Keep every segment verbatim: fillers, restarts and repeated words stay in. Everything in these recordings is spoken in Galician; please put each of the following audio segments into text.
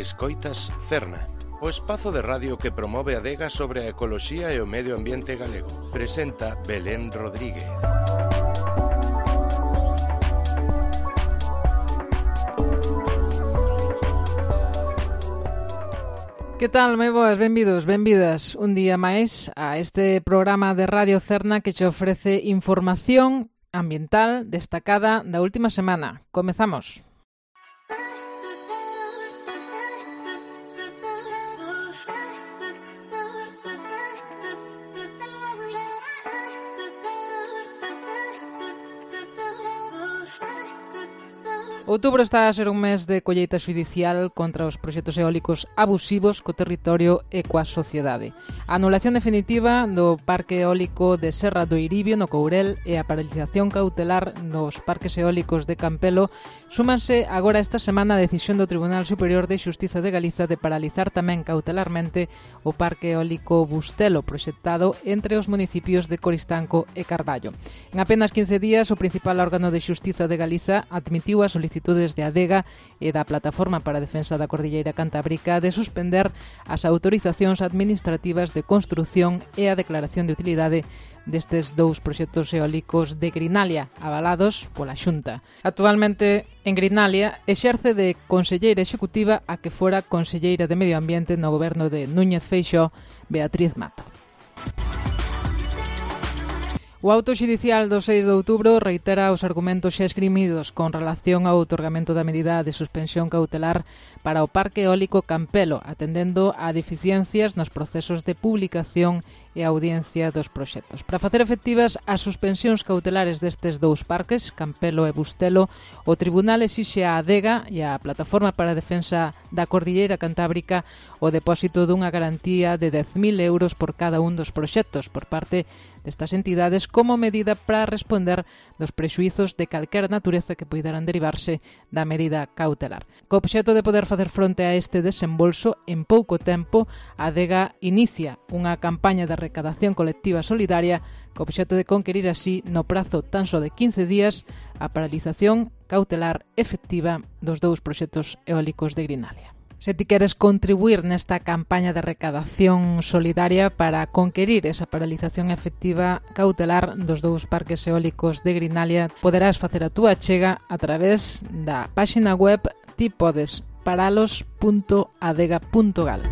Escoitas Cerna, o espazo de radio que promove a adega sobre a ecoloxía e o medio ambiente galego. Presenta Belén Rodríguez. Que tal, moi boas, benvidos, benvidas un día máis a este programa de Radio Cerna que che ofrece información ambiental destacada da última semana. Comezamos. Outubro está a ser un mes de colleita xudicial contra os proxectos eólicos abusivos co territorio e coa sociedade. A anulación definitiva do parque eólico de Serra do Eiribio no Courel e a paralización cautelar nos parques eólicos de Campelo súmanse agora esta semana a decisión do Tribunal Superior de Xustiza de Galiza de paralizar tamén cautelarmente o parque eólico Bustelo proxectado entre os municipios de Coristanco e Carballo. En apenas quince días, o principal órgano de Xustiza de Galiza admitiu a solicitudes de Adega e da Plataforma para a Defensa da Cordilleira Cantábrica de suspender as autorizacións administrativas de construción e a declaración de utilidade destes dous proxectos eólicos de Grinalia, avalados pola Xunta. Actualmente, en Grinalia, exerce de conselleira executiva a que fora conselleira de Medio Ambiente no goberno de Núñez Feixóo, Beatriz Mato. O auto xudicial do seis de outubro reitera os argumentos xa esgrimidos con relación ao outorgamento da medida de suspensión cautelar para o parque eólico Campelo, atendendo a deficiencias nos procesos de publicación e audiencia dos proxectos. Para facer efectivas as suspensións cautelares destes dous parques, Campelo e Bustelo, o Tribunal exixe á Adega e á Plataforma para a Defensa da Cordilleira Cantábrica o depósito dunha garantía de dez mil euros por cada un dos proxectos por parte destas entidades como medida para responder dos prexuizos de calquera natureza que poideran derivarse da medida cautelar. Co obxecto de poder facer fronte a este desembolso, en pouco tempo, a Adega inicia unha campaña de recadación colectiva solidaria co obxecto de conquerir así, no prazo tan só de quince días, a paralización cautelar efectiva dos dous proxectos eólicos de Grinalia. Se ti queres contribuir nesta campaña de recadación solidaria para conquerir esa paralización efectiva cautelar dos dous parques eólicos de Grinalia, poderás facer a túa achega a través da páxina web ti podes paralos punto adega punto gal.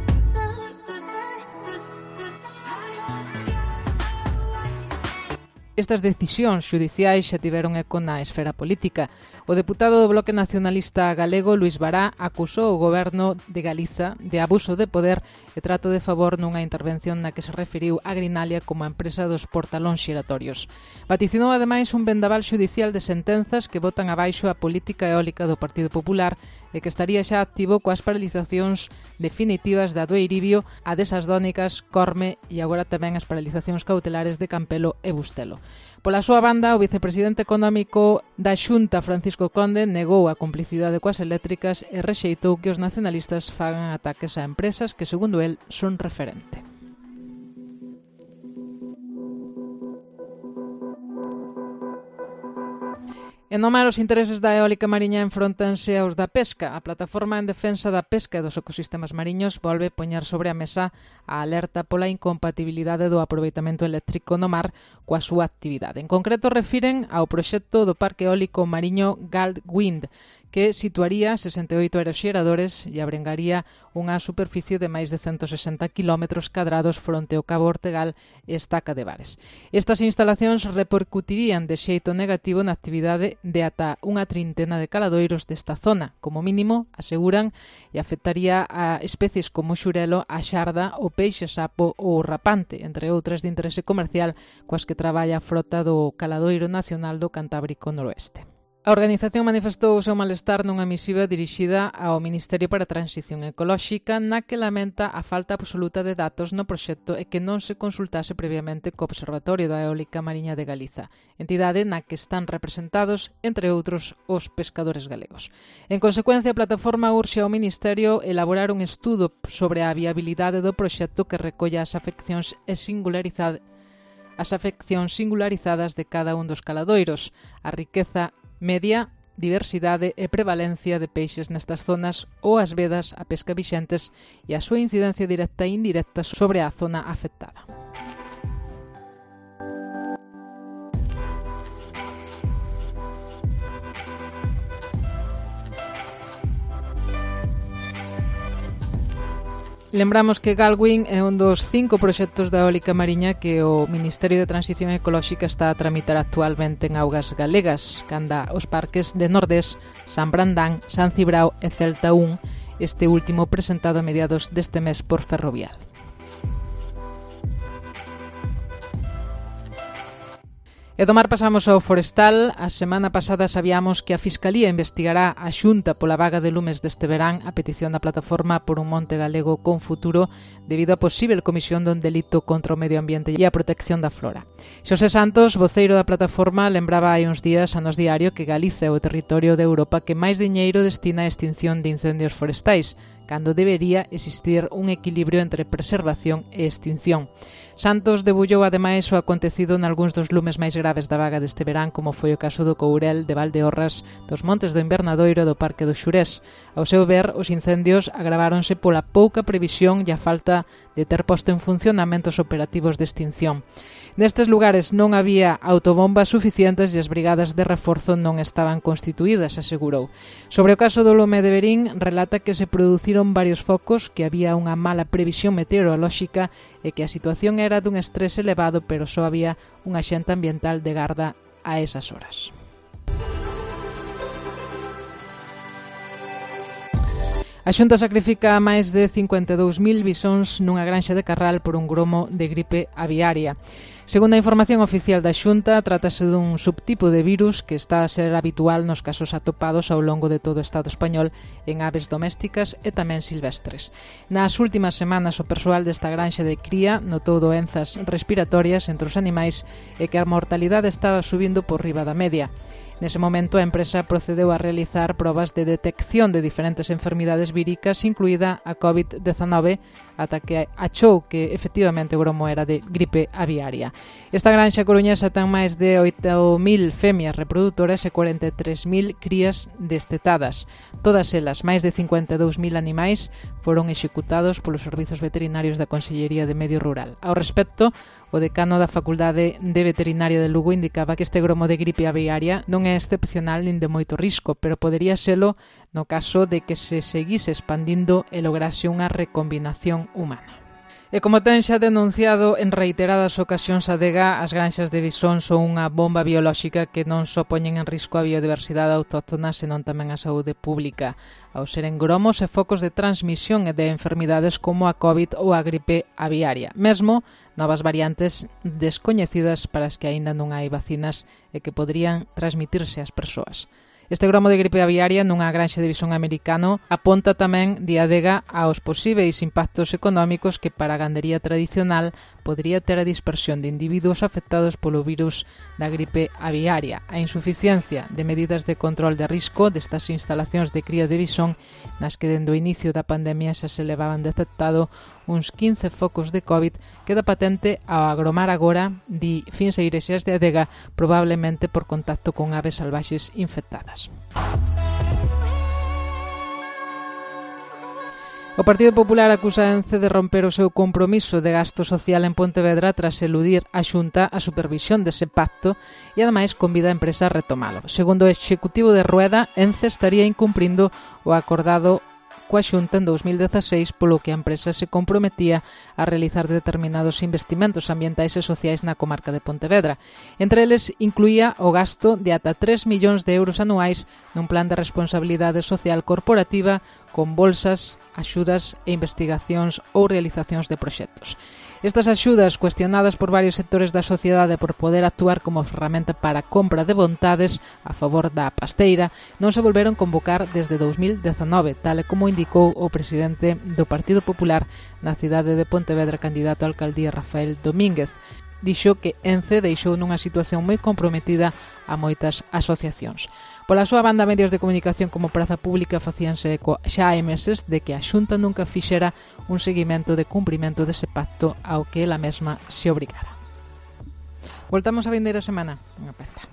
Estas decisións xudiciais xa tiveron eco na esfera política. O deputado do Bloque Nacionalista Galego, Luís Bará, acusou o goberno de Galiza de abuso de poder e trato de favor nunha intervención na que se referiu a Grinalia como a empresa dos portalóns xiratorios. Vaticinou ademais un vendaval xudicial de sentenzas que botan abaixo a política eólica do Partido Popular e que estaría xa activo coas paralizacións definitivas da do Eiribio, a desas Dónicas, Corme e agora tamén as paralizacións cautelares de Campelo e Bustelo. Pola súa banda, o vicepresidente económico da Xunta, Francisco Conde, negou a complicidade coas eléctricas e rexeitou que os nacionalistas fagan ataques a empresas que, segundo el, son referente. En no mar, os intereses da eólica mariña enfróntanse aos da pesca. A Plataforma en Defensa da Pesca e dos Ecosistemas Mariños volve poñer sobre a mesa a alerta pola incompatibilidade do aproveitamento eléctrico no mar coa súa actividade. En concreto, refiren ao proxecto do Parque Eólico Mariño Galt Wind, que situaría sesenta e oito aeroxeradores e abrengaría unha superficie de máis de ciento sesenta quilómetros cadrados fronte ao Cabo Ortegal e Estaca de Bares. Estas instalacións repercutirían de xeito negativo na actividade de ata unha trintena de caladoiros desta zona, como mínimo, aseguran, e afectaría a especies como o xurelo, a xarda, o peixe sapo ou o rapante, entre outras de interese comercial coas que traballa a frota do Caladoiro Nacional do Cantábrico Noroeste. A organización manifestou o seu malestar nunha misiva dirixida ao Ministerio para a Transición Ecolóxica na que lamenta a falta absoluta de datos no proxecto e que non se consultase previamente co Observatorio da Eólica Mariña de Galiza, entidade na que están representados, entre outros, os pescadores galegos. En consecuencia, a plataforma urxe ao Ministerio elaborar un estudo sobre a viabilidade do proxecto que recolla as afeccións e singularidade as afeccións singularizadas de cada un dos caladoiros, a riqueza media diversidade e prevalencia de peixes nestas zonas ou as vedas a pesca vixentes e a súa incidencia directa e indirecta sobre a zona afectada. Lembramos que Galwin é un dos cinco proxectos da eólica mariña que o Ministerio de Transición Ecolóxica está a tramitar actualmente en augas galegas, canda os parques de Nordés, San Brandán, San Cibrao e Celta un, este último presentado a mediados deste mes por Ferrovial. E do mar pasamos ao forestal. A semana pasada sabíamos que a Fiscalía investigará a Xunta pola vaga de lumes deste verán a petición da plataforma por un monte galego con futuro debido a posible comisión dun delito contra o medio ambiente e a protección da flora. Xosé Santos, voceiro da plataforma, lembraba hai uns días a Nos Diario que Galiza é o territorio de Europa que máis diñeiro destina a extinción de incendios forestais, cando debería existir un equilibrio entre preservación e extinción. Santos debullou ademais o acontecido nalgúns dos lumes máis graves da vaga deste verán, como foi o caso do Courel, de Valdeorras, dos Montes do Invernadoiro e do Parque do Xurés. Ao seu ver, os incendios agravaronse pola pouca previsión e a falta de ter posto en funcionamento os operativos de extinción. Nestes lugares non había autobombas suficientes e as brigadas de reforzo non estaban constituídas, asegurou. Sobre o caso do lume de Verín, relata que se produciron varios focos, que había unha mala previsión meteorolóxica e que a situación era dun estrés elevado, pero só había un axente ambiental de garda a esas horas. A Xunta sacrifica máis de cincuenta e dous mil bisóns nunha granxa de Carral por un gromo de gripe aviaria. Segundo a información oficial da Xunta, trátase dun subtipo de virus que está a ser habitual nos casos atopados ao longo de todo o Estado español en aves domésticas e tamén silvestres. Nas últimas semanas, o persoal desta granxa de cría notou doenzas respiratorias entre os animais e que a mortalidade estaba subindo por riba da media. Nese momento, a empresa procedeu a realizar probas de detección de diferentes enfermidades víricas, incluída a covid dezanove, ata que achou que efectivamente o gromo era de gripe aviaria. Esta granxa coruñesa ten máis de oito mil femias reproductoras e cuarenta e tres mil crías destetadas. Todas elas, máis de cincuenta e dous mil animais, foron executados polos servizos veterinarios da Consellería de Medio Rural. Ao respecto, o decano da Facultade de Veterinaria de Lugo indicaba que este gromo de gripe aviaria non é excepcional nin de moito risco, pero podería selo no caso de que se seguise expandindo e lograse unha recombinación humana. E como ten xa denunciado en reiteradas ocasións a Adega, as granxas de bisón son unha bomba biolóxica que non só poñen en risco a biodiversidade autóctona, senón tamén a saúde pública, ao seren gromos e focos de transmisión e de enfermidades como a COVID ou a gripe aviaria. Mesmo novas variantes descoñecidas para as que aínda non hai vacinas e que poderían transmitirse ás persoas. Este gromo de gripe aviaria nunha granxa de bisón americano aponta tamén, di Adega, aos posíveis impactos económicos que para a gandería tradicional podería ter a dispersión de individuos afectados polo virus da gripe aviaria, a insuficiencia de medidas de control de risco destas instalacións de cría de bisón nas que dende o inicio da pandemia xa se levaban detectado uns quince focos de COVID, queda patente ao agromar agora, di Fins e Igrexas de Adega, probablemente por contacto con aves salvaxes infectadas. O Partido Popular acusa a Ence de romper o seu compromiso de gasto social en Pontevedra tras eludir a Xunta a supervisión dese pacto e ademais convida a empresa a retomalo. Segundo o executivo de Rueda, Ence estaría incumprindo o acordado coa Xunta en dous mil dezaseis, polo que a empresa se comprometía a realizar determinados investimentos ambientais e sociais na comarca de Pontevedra. Entre eles incluía o gasto de ata tres millóns de euros anuais nun plan de responsabilidade social corporativa con bolsas, axudas e investigacións ou realizacións de proxectos. Estas axudas, cuestionadas por varios sectores da sociedade por poder actuar como ferramenta para a compra de vontades a favor da pasteira, non se volveron convocar desde dous mil dezanove, tal e como indicou o presidente do Partido Popular na cidade de Pontevedra, candidato á alcaldía Rafael Domínguez. Dixo que Ence deixou nunha situación moi comprometida a moitas asociacións. Pola súa banda, medios de comunicación como Praza Pública facíanse eco xa hai meses de que a Xunta nunca fixera un seguimento de cumprimento dese pacto ao que ela mesma se obrigara. Voltamos a vindeira semana. Unha aperta.